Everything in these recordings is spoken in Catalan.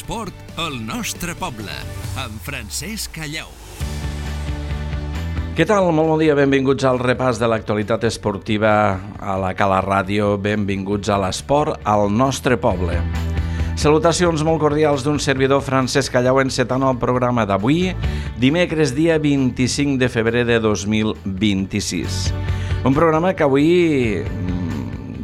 L'esport al nostre poble, amb Francesc Callau. Què tal? Molt bon dia, benvinguts al repàs de l'actualitat esportiva a la Cala Ràdio, benvinguts a l'esport al nostre poble. Salutacions molt cordials d'un servidor, Francesc Callau, encetant el programa d'avui, dimecres dia 25 de febrer de 2026. Un programa que avui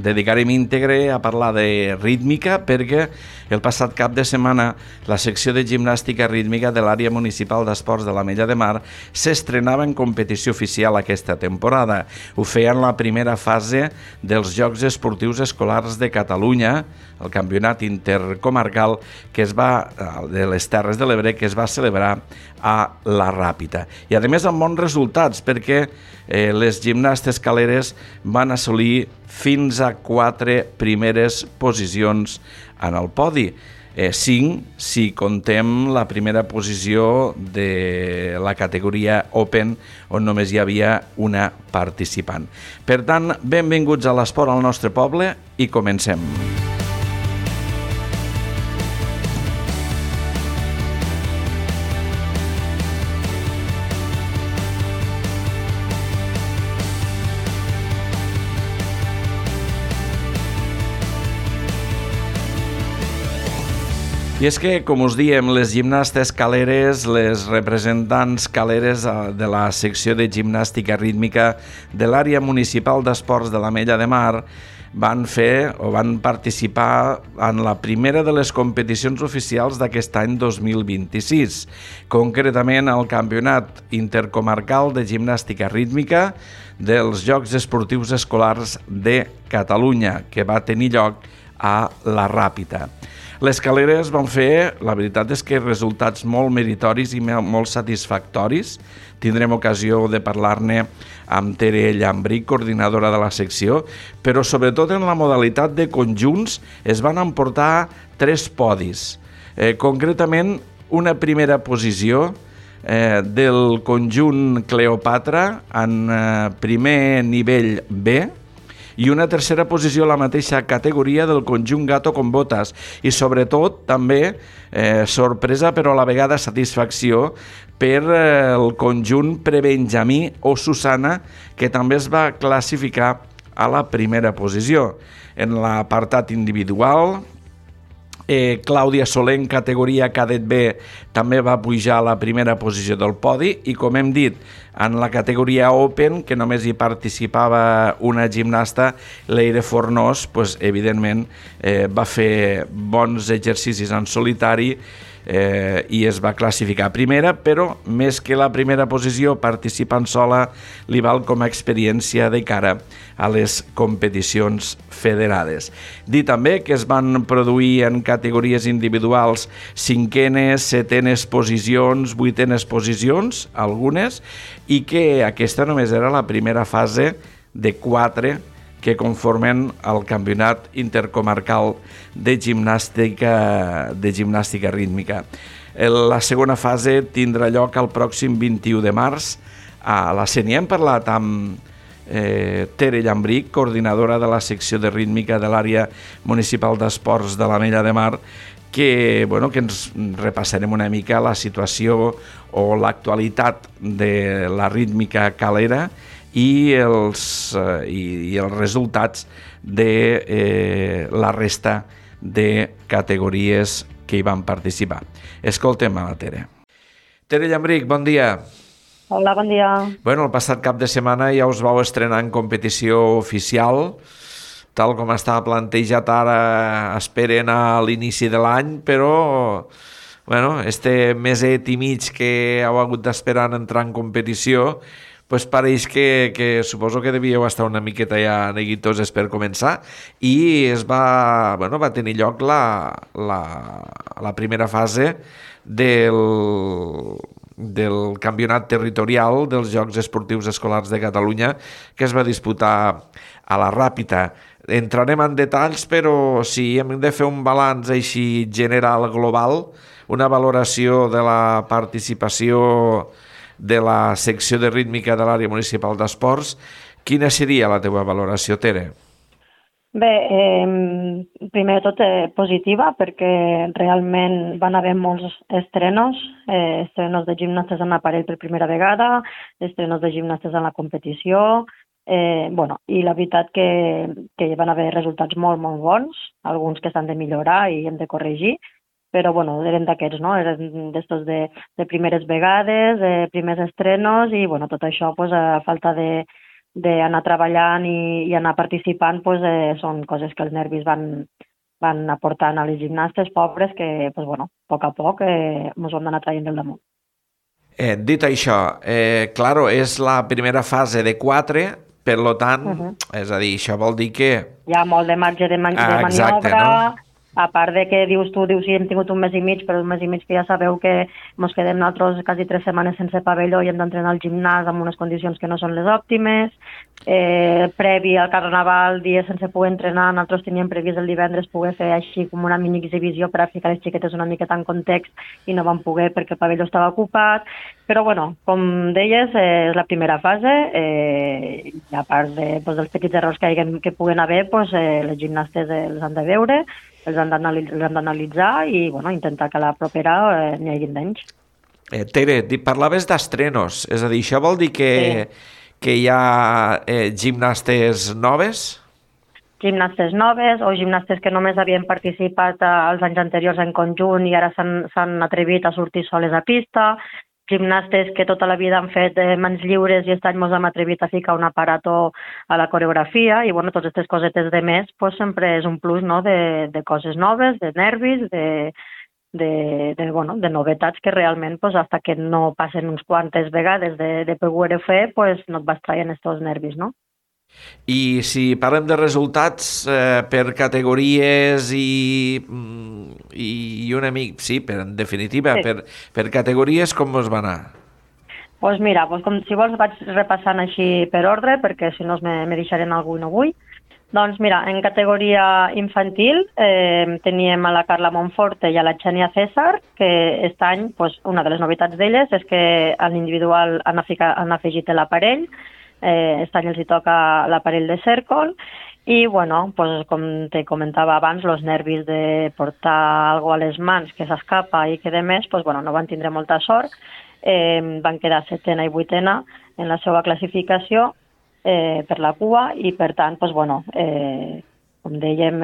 dedicarem íntegre a parlar de rítmica perquè el passat cap de setmana la secció de gimnàstica rítmica de l'àrea municipal d'esports de l'Ametlla de Mar s'estrenava en competició oficial aquesta temporada. Ho feia en la primera fase dels Jocs Esportius Escolars de Catalunya, el campionat intercomarcal de les Terres de l'Ebre que es va celebrar a la Ràpita. I a més amb bons resultats perquè les gimnastes caleres van assolir fins a 4 primeres posicions en el podi. 5 si contem la primera posició de la categoria Open, on només hi havia una participant. Per tant, benvinguts a l'esport al nostre poble i comencem. I és que, com us diem, les gimnastes caleres, les representants caleres de la secció de gimnàstica rítmica de l'àrea municipal d'esports de l'Ametlla de Mar van participar en la primera de les competicions oficials d'aquest any 2026, concretament al Campionat Intercomarcal de Gimnàstica Rítmica dels Jocs Esportius Escolars de Catalunya, que va tenir lloc a la Ràpita. Les caleres van fer, la veritat és que resultats molt meritoris i molt satisfactoris. Tindrem ocasió de parlar-ne amb Tere Llambric, coordinadora de la secció, però sobretot en la modalitat de conjunts es van emportar 3 podis. Concretament, una primera posició del conjunt Cleopatra en primer nivell B, i una tercera posició a la mateixa categoria del conjunt Gato con Botas i sobretot també sorpresa però a la vegada satisfacció per el conjunt Prebenjamí o Susana, que també es va classificar a la primera posició. En l'apartat individual, Clàudia Soler en categoria cadet B també va pujar a la primera posició del podi i, com hem dit, en la categoria Open, que només hi participava una gimnasta, Leire Fornós, evidentment va fer bons exercicis en solitari i es va classificar primera, però més que la primera posició, participant sola li val com a experiència de cara a les competicions federades. Dir també que es van produir en categories individuals 5enes, 7enes posicions, 8enes posicions, algunes, i que aquesta només era la primera fase de 4 que conformen el Campionat Intercomarcal de Gimnàstica Rítmica. La segona fase tindrà lloc el pròxim 21 de març a la CENI. Hem parlat amb Tere Llambric, coordinadora de la secció de rítmica de l'àrea municipal d'esports de l'Ametlla de Mar, que ens repassarem una mica la situació o l'actualitat de la rítmica calera i els resultats de la resta de categories que hi van participar. Escoltem a la Tere. Tere Llambric, bon dia. Hola, bon dia. El passat cap de setmana ja us vau estrenar en competició oficial, tal com estava plantejat ara, esperen a l'inici de l'any, però este meset i mig que heu hagut d'esperar en entrar en competició, pareix que suposo que devíeu estar una miqueta ja neguitoses per començar i va tenir lloc la primera fase del campionat territorial dels Jocs Esportius Escolars de Catalunya, que es va disputar a la Ràpita. Entrarem en detalls, però si hem de fer un balanç així general, global, una valoració de la participació de la secció de rítmica de l'àrea municipal d'esports, quina seria la teva valoració, Tere? Bé, primer de tot positiva perquè realment van haver molts estrenos de gimnastes en aparell per primera vegada, estrenos de gimnastes en la competició, i la veritat que van haver resultats molt, molt bons, alguns que s'han de millorar i hem de corregir, però eren d'aquests, no? Eren d'estos de primeres vegades, primers estrenos i tot això a falta d'anar treballant i anar participant són coses que els nervis van aportant a les gimnastes pobres que a poc a poc ens ho hem d'anar traient del damunt. Dit això, claro, és la primera fase de 4, per tant, és a dir, això vol dir que... Hi ha molt de marge de maniobra, exacte, no? A part de que dius, sí, hem tingut un mes i mig, però un mes i mig que ja sabeu que ens quedem nosaltres quasi 3 setmanes sense pavelló i hem d'entrenar al gimnàs amb unes condicions que no són les òptimes. Previ al Carnaval, dies sense poder entrenar, nosaltres teníem previst el divendres poder fer així com una mini exhibició per a ficar les xiquetes una miqueta en context i no vam poder perquè el pavelló estava ocupat. Però, com deies, és la primera fase i a part dels petits errors que puguen haver, les gimnastes els han de veure, els han d'analitzar i intentar que a la propera n'hi hagi menys. Tere, parlaves d'estrenos, és a dir, això vol dir que hi ha gimnastes noves? Gimnastes noves o gimnastes que només havien participat els anys anteriors en conjunt i ara s'han atrevit a sortir soles a pista, gimnastes que tota la vida han fet mans lliures i aquest any ens hem atrevit a ficar un aparato a la coreografia i totes aquestes cosetes de més sempre és un plus, no? de coses noves, de nervis, de novetats que realment fins que no passen uns quantes vegades de poder fer no et vas traient aquests nervis, no? I si parlem de resultats per categories i una mica, sí, en definitiva, sí. Per categories, com us va anar? Doncs mira, si vols vaig repassant així per ordre, perquè si no me deixaré algú i no vull. Doncs mira, en categoria infantil teníem a la Carla Monforte i a la Xènia César, que aquest any una de les novetats d'elles és que a l'individual han afegit l'aparell. Aquest any els hi toca l'aparell de cèrcol i, com te comentava abans, els nervis de portar alguna cosa a les mans que s'escapa i que de més, no van tindre molta sort. Van quedar 7a i 8a en la seva classificació per la cua i, per tant, com dèiem,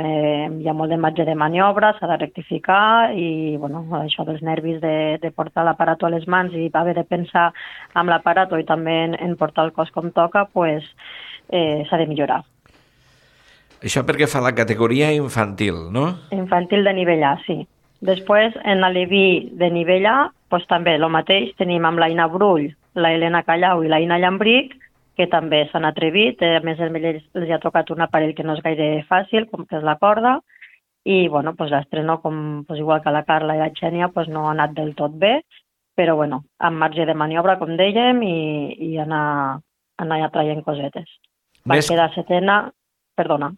hi ha molt de marge de maniobra, s'ha de rectificar i això dels nervis de portar l'aparato a les mans i haver de pensar amb l'aparato i també en portar el cos com toca, s'ha de millorar. Això perquè fa la categoria infantil, no? Infantil de nivell A, sí. Després, en l'aleví de nivell A, també el mateix, tenim amb l'Aina Brull, la Helena Callau i l'Aina Llambric, que també s'han atrevit, a més els ha tocat un aparell que no és gaire fàcil, com que és la corda, i l'estreno, igual que la Carla i la Xènia, no ha anat del tot bé, però amb marge de maniobra, com dèiem, i anar traient cosetes. Van quedar 7a, perdona.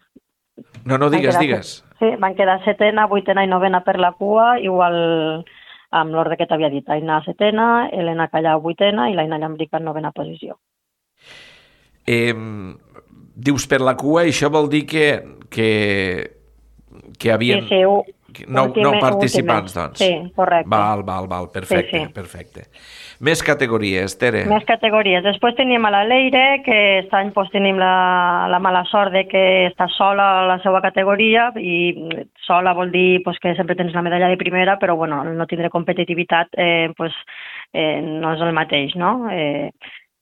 No, digues. Sí, van quedar 7a, 8a i 9a per la cua, igual amb l'ordre que t'havia dit, Aina 7a, Helena Callau 8a i l'Aina Llambric en 9a posició. Dius per la cua, això vol dir que havien... Sí, 9 participants, doncs. Sí, correcte. Val, perfecte, sí. Perfecte. Més categories, Tere. Més categories. Després teníem a la Leire, que aquest any tenim la mala sort de que està sola a la seva categoria, i sola vol dir que sempre tens la medalla de primera, però no tindre competitivitat no és el mateix, no?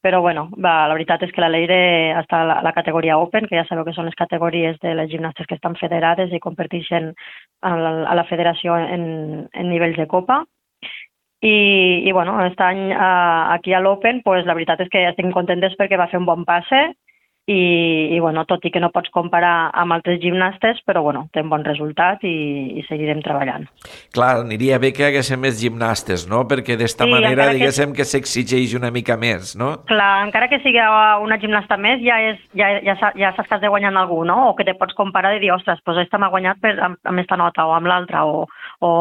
Però la veritat és que la Leire està a la categoria Open, que ja sabeu que són les categories de les gimnastes que estan federades i competeixen a la federació en nivells de copa. I aquest any aquí a l'Open, la veritat és que estic contentes perquè va fer un bon passe i tot i que no pots comparar amb altres gimnastes, però té un bon resultat i seguirem treballant. Clar, aniria bé que haguéssim més gimnastes, no? Perquè d'esta manera, diguéssim, que s'exigeix una mica més, no? Clar, encara que sigui una gimnasta més, ja saps que has de guanyar algú, no? O que te pots comparar i dir, ostres, aquesta m'ha guanyat amb aquesta nota o amb l'altra, o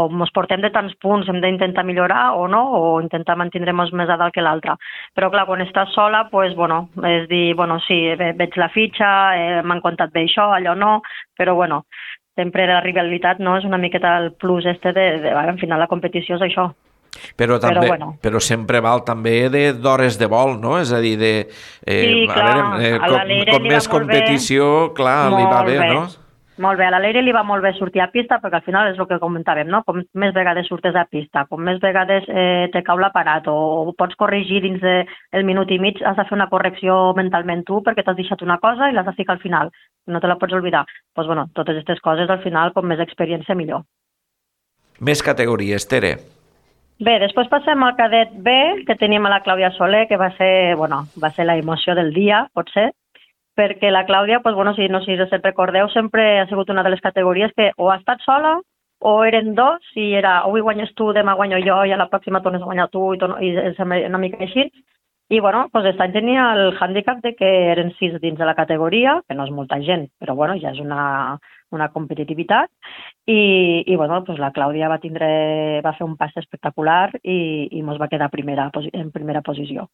ens portem de tants punts, hem d'intentar millorar o no, o intentar mantenir-nos més a dalt que l'altra. Però clar, quan estàs sola, és dir, sí, veig la fitxa, m'han contat bé això, allò no, però bueno, sempre la rivalitat no és una miqueta el plus al final la competició és això. Però sempre val també d'hores de vol, no? És a dir, sí, clar, com més competició, clar, li va bé, no? Molt bé, a l'Aleire li va molt bé sortir a pista, perquè al final és el que comentàvem, no? Com més vegades surtes a pista, com més vegades te cau l'aparat o pots corregir dins del minut i mig, has de fer una correcció mentalment tu perquè t'has deixat una cosa i l'has de ficar al final, no te la pots oblidar. Doncs bueno, totes aquestes coses al final, com més experiència, millor. Més categories, Tere. Bé, després passem al cadet B, que teníem a la Clàudia Soler, que va ser la emoció del dia, potser, perquè la Clàudia, no sé si recordeu, sempre ha sigut una de les categories que o ha estat sola o eren dos, i era avui guanyes tu, demà guanyo jo, i a la pròxima tornes a guanyar tu, i és una mica així. I aquest any tenia el hàndicap de que eren 6 dins de la categoria, que no és molta gent, però ja és una competitivitat, i la Clàudia va fer un pas espectacular i ens va quedar en primera posició.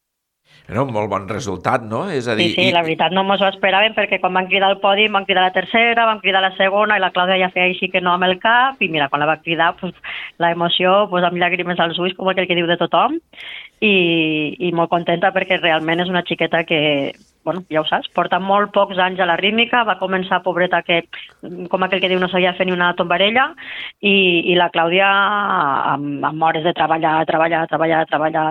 Era un molt bon resultat, no? És a dir, sí, la veritat no ens ho esperàvem, perquè quan van cridar al podi van cridar la tercera, van cridar la segona, i la Clàudia ja feia així que no amb el cap, i mira, quan la va cridar, l'emoció, amb llàgrimes als ulls, com aquell que diu de tothom, i molt contenta perquè realment és una xiqueta que, ja ho saps, porta molt pocs anys a la rítmica, va començar, pobreta, que com aquell que diu no sabia fer ni una tombarella, i la Clàudia, amb hores de treballar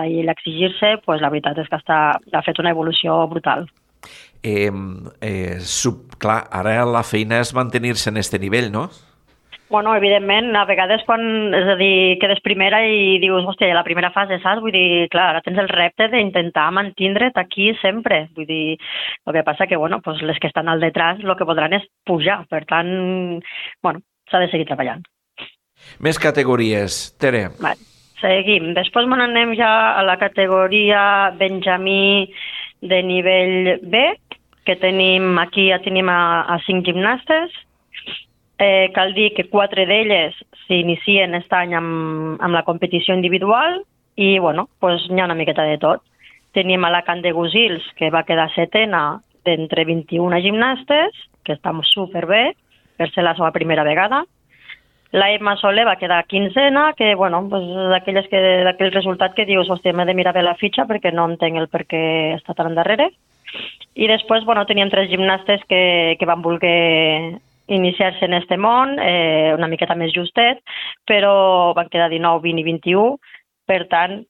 i l'exigir-se, la veritat és que ha fet una evolució brutal. Clar, ara la feina és mantenir-se en aquest nivell, no? Evidentment, a vegades quedes primera i dius, hòstia, la primera fase, saps? Vull dir, clar, ara tens el repte d'intentar mantindre't aquí sempre. Vull dir, el que passa que, les que estan al detrás el que voldran és pujar. Per tant, s'ha de seguir treballant. Més categories, Tere. Vale, seguim. Després anem ja a la categoria Benjamí de nivell B, que tenim aquí a 5 gimnastes. Cal dir que 4 d'elles s'inicien aquest any amb la competició individual i, n'hi ha una miqueta de tot. Tenim a la Candegusils, que va quedar 7ena d'entre 21 gimnastes, que està superbé, per ser la seva primera vegada. La Emma Soler va quedar 15ena, que, d'aquell resultat que dius, hòstia, m'he de mirar bé la fitxa perquè no entenc el per què està tan endarrere. I després, teníem 3 gimnastes que van voler iniciar-se en este món, una miqueta més justet, però van quedar 19, 20 i 21, per tant,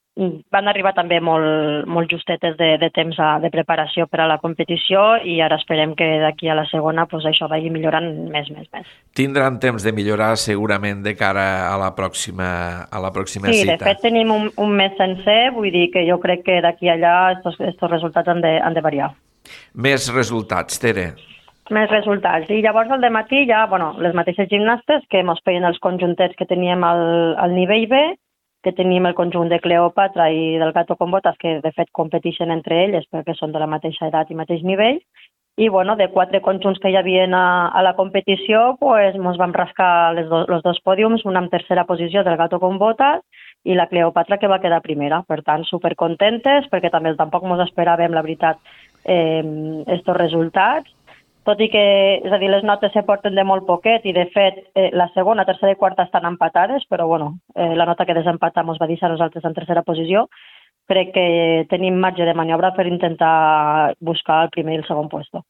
van arribar també molt justetes de temps de preparació per a la competició i ara esperem que d'aquí a la segona això vagi millorant més. Tindran temps de millorar segurament de cara a la pròxima cita. Sí, de fet tenim un mes sencer, vull dir que jo crec que d'aquí a allà estos resultats han de variar. Més resultats, Tere. Més resultats. I llavors al dematí ja, les mateixes gimnastes que ens feien els conjuntets que teníem al nivell B, que tenim el conjunt de Cleopatra i del Gato con Botas, que de fet competeixen entre elles perquè són de la mateixa edat i mateix nivell. I de 4 conjunts que hi havia a la competició, ens vam rascar els 2 pòdiums, un amb tercera posició del Gato con Botas i la Cleopatra, que va quedar primera. Per tant, supercontentes, perquè també tampoc ens esperàvem, la veritat, estos resultats. Tot i que, les notes se porten de molt poquet i, de fet, la segona, tercera i quarta estan empatades, però, la nota que desempatam ens va deixar nosaltres en tercera posició. Crec que tenim marge de maniobra per intentar buscar el primer i el segon puesto.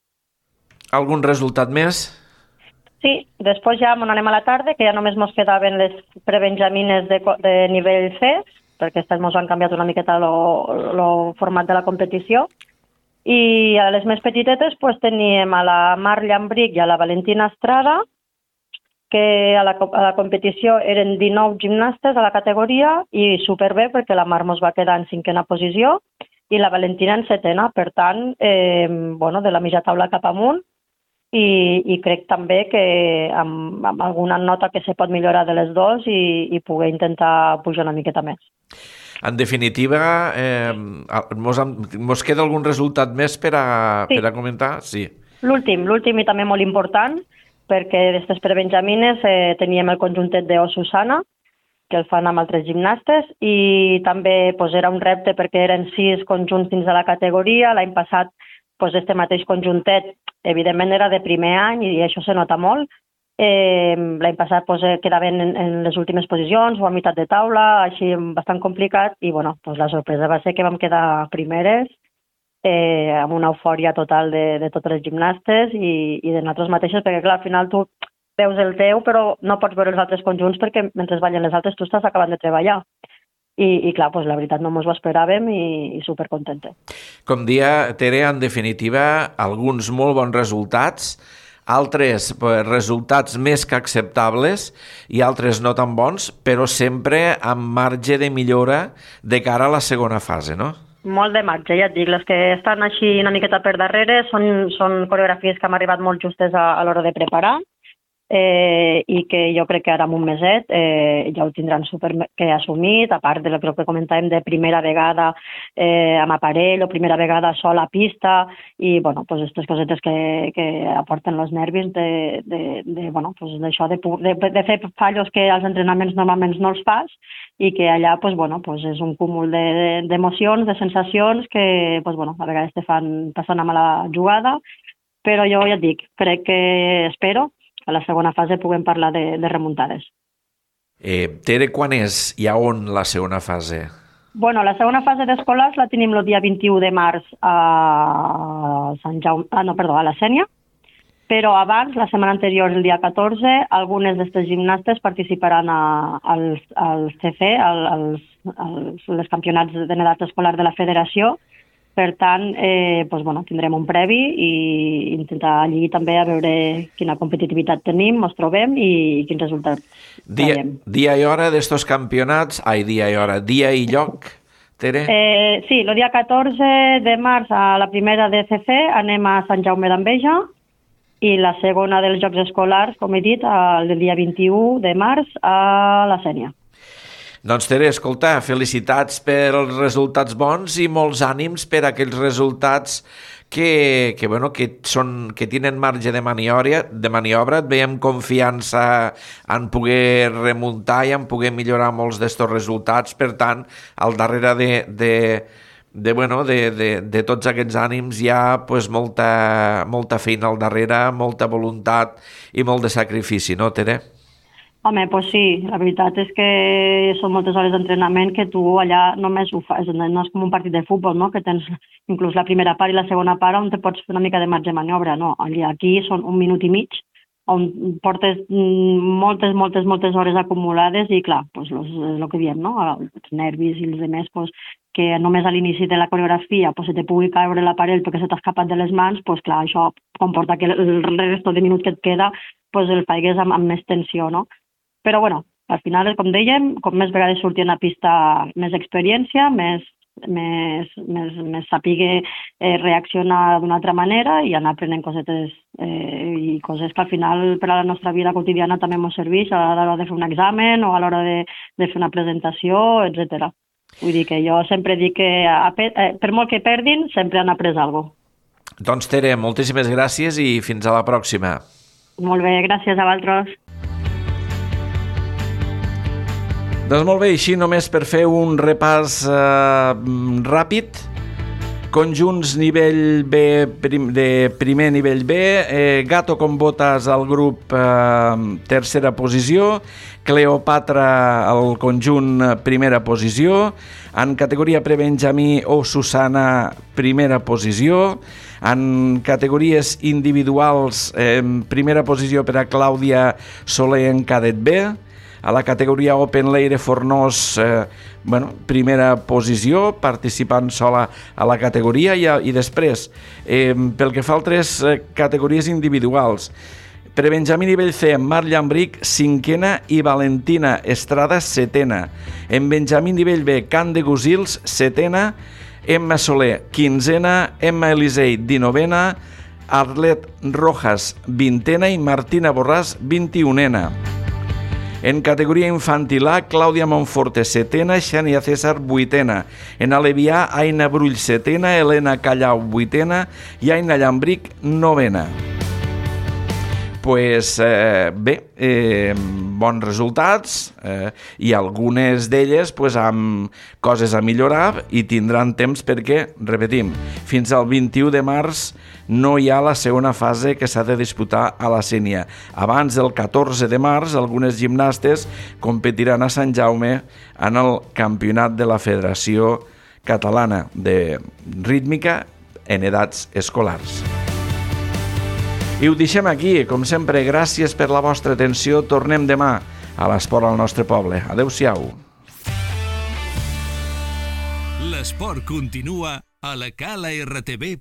Algun resultat més? Sí, després ja anem a la tarda, que ja només ens quedaven les prebenjamines de nivell C, perquè aquestes ens han canviat una miqueta el format de la competició. I a les més petitetes teníem a la Mar Llambric i a la Valentina Estrada, que a la competició eren 19 gimnastes a la categoria i superbé perquè la Mar ens va quedar en 5ena posició i la Valentina en 7ena. Per tant, de la mitja taula cap amunt i crec també que amb alguna nota que se pot millorar de les dues i poder intentar pujar una miqueta més. En definitiva, mos queda algun resultat més per a comentar? Sí. L'últim i també molt important, perquè d'aquestes prebenjamines teníem el conjuntet d'O Susana, que el fan amb altres gimnastes, i també era un repte perquè eren 6 conjunts dins de la categoria. L'any passat pues este mateix conjuntet, evidentment era de primer any i això se nota molt. L'any passat pues, quedaven en les últimes posicions o a meitat de taula, així bastant complicat, i bueno, pues la sorpresa va ser que vam quedar primeres, amb una eufòria total de totes les gimnastes i de nosaltres mateixes, perquè clar, al final tu veus el teu, però no pots veure els altres conjunts perquè mentre ballen les altres tu estàs acabant de treballar. I clar, pues, la veritat no ens ho esperàvem i supercontenta. Com dia, Tere, en definitiva, alguns molt bons resultats, altres resultats més que acceptables i altres no tan bons, però sempre amb marge de millora de cara a la segona fase, no? Molt de marge, ja et dic. Les que estan així una miqueta per darrere són coreografies que hem arribat molt justes a l'hora de preparar, i que jo crec que ara en un meset ja ho tindran super que assumit, a part de lo que comentàvem de primera vegada amb aparell o primera vegada sola a pista i bueno, pues aquestes cosetes que aporten els nervis bueno, pues d'això de fer fallos que als entrenaments normalment no els fas i que allà pues, bueno, pues és un cúmul d'emocions, de sensacions que pues, bueno, a vegades te fan passar una mala jugada, però jo ja et dic, crec que espero a la segona fase puguem parlar de remuntades. Tere, quan és i a on la segona fase? Bueno, la segona fase d'escolars la tenim el dia 21 de març a Sant Jaume, a la Sénia, però abans, la setmana anterior, el dia 14, algunes d'aquestes gimnastes participaran als CC, als campionats de nedat escolar de la federació. Per tant, doncs, bueno, tindrem un previ i intentar allí també a veure quina competitivitat tenim, ens trobem i quins resultats veiem. Dia i hora d'estos campionats, dia i lloc, Tere? Sí, el dia 14 de març a la primera de CC anem a Sant Jaume d'Enveja i la segona dels Jocs Escolars, com he dit, el dia 21 de març a la Sénia. Doncs Tere, escolta, felicitats per els resultats bons i molts ànims per aquells resultats que tenen marge de maniobra, et veiem confiança en poder remuntar i en poder millorar molts d'estos resultats, per tant, al darrere de tots aquests ànims hi ha pues, molta feina al darrere, molta voluntat i molt de sacrifici, no, Tere? Home, doncs sí, la veritat és que són moltes hores d'entrenament que tu allà només ho fas, no és com un partit de futbol, no? Que tens inclús la primera part i la segona part on te pots fer una mica de marge de maniobra, no? Aquí són 1 minut i mig, on portes moltes hores acumulades i clar, doncs és el que diem, no? Els nervis i els demés, doncs, que només a l'inici de la coreografia se te pugui caure l'aparell perquè se t'ha escapat de les mans, doncs clar, això comporta que el resto de minut que et queda el faigues amb més tensió, no? Però, bueno, al final, com dèiem, com més vegades sortien a pista, més experiència, més saber reaccionar d'una altra manera i anar aprenent cosetes i coses que al final per a la nostra vida quotidiana també ens serveix a l'hora de fer un examen o a l'hora de fer una presentació, etc. Vull dir que jo sempre dic que per molt que perdin, sempre han après alguna cosa. Doncs Tere, moltíssimes gràcies i fins a la pròxima. Molt bé, gràcies a vosaltres. Doncs molt bé, així només per fer un repàs ràpid. Conjunts nivell B, de primer nivell B, Gato con Botas al grup tercera posició, Cleopatra al conjunt primera posició, en categoria prebenjamí o Susana primera posició, en categories individuals primera posició per a Clàudia Soler en cadet B, a la categoria Open Leire Fornós, primera posició, participant sola a la categoria i després, pel que fa a altres categories individuals, prebenjamí nivell C, Mar Llambric, cinquena i Valentina Estrada, setena. En benjamí nivell B, Can de Gusils, setena, Emma Soler, quinzena, Emma Elisei, 19a, Arlet Rojas, 20a i Martina Borràs, 21a. En categoria infantil A, Clàudia Monforte, setena, Xènia César, vuitena. En alevià, Aina Brull, setena, Helena Callau, vuitena i Aina Llambric, novena. bons resultats i algunes d'elles amb coses a millorar i tindran temps perquè, repetim, fins al 21 de març no hi ha la segona fase que s'ha de disputar a la Sénia. Abans del 14 de març, algunes gimnastes competiran a Sant Jaume en el campionat de la Federació Catalana de Rítmica en edats escolars. I ho deixem aquí. Com sempre, gràcies per la vostra atenció. Tornem demà a l'Esport al nostre poble. Adéu-siau. L'esport continua a la calartv.cat.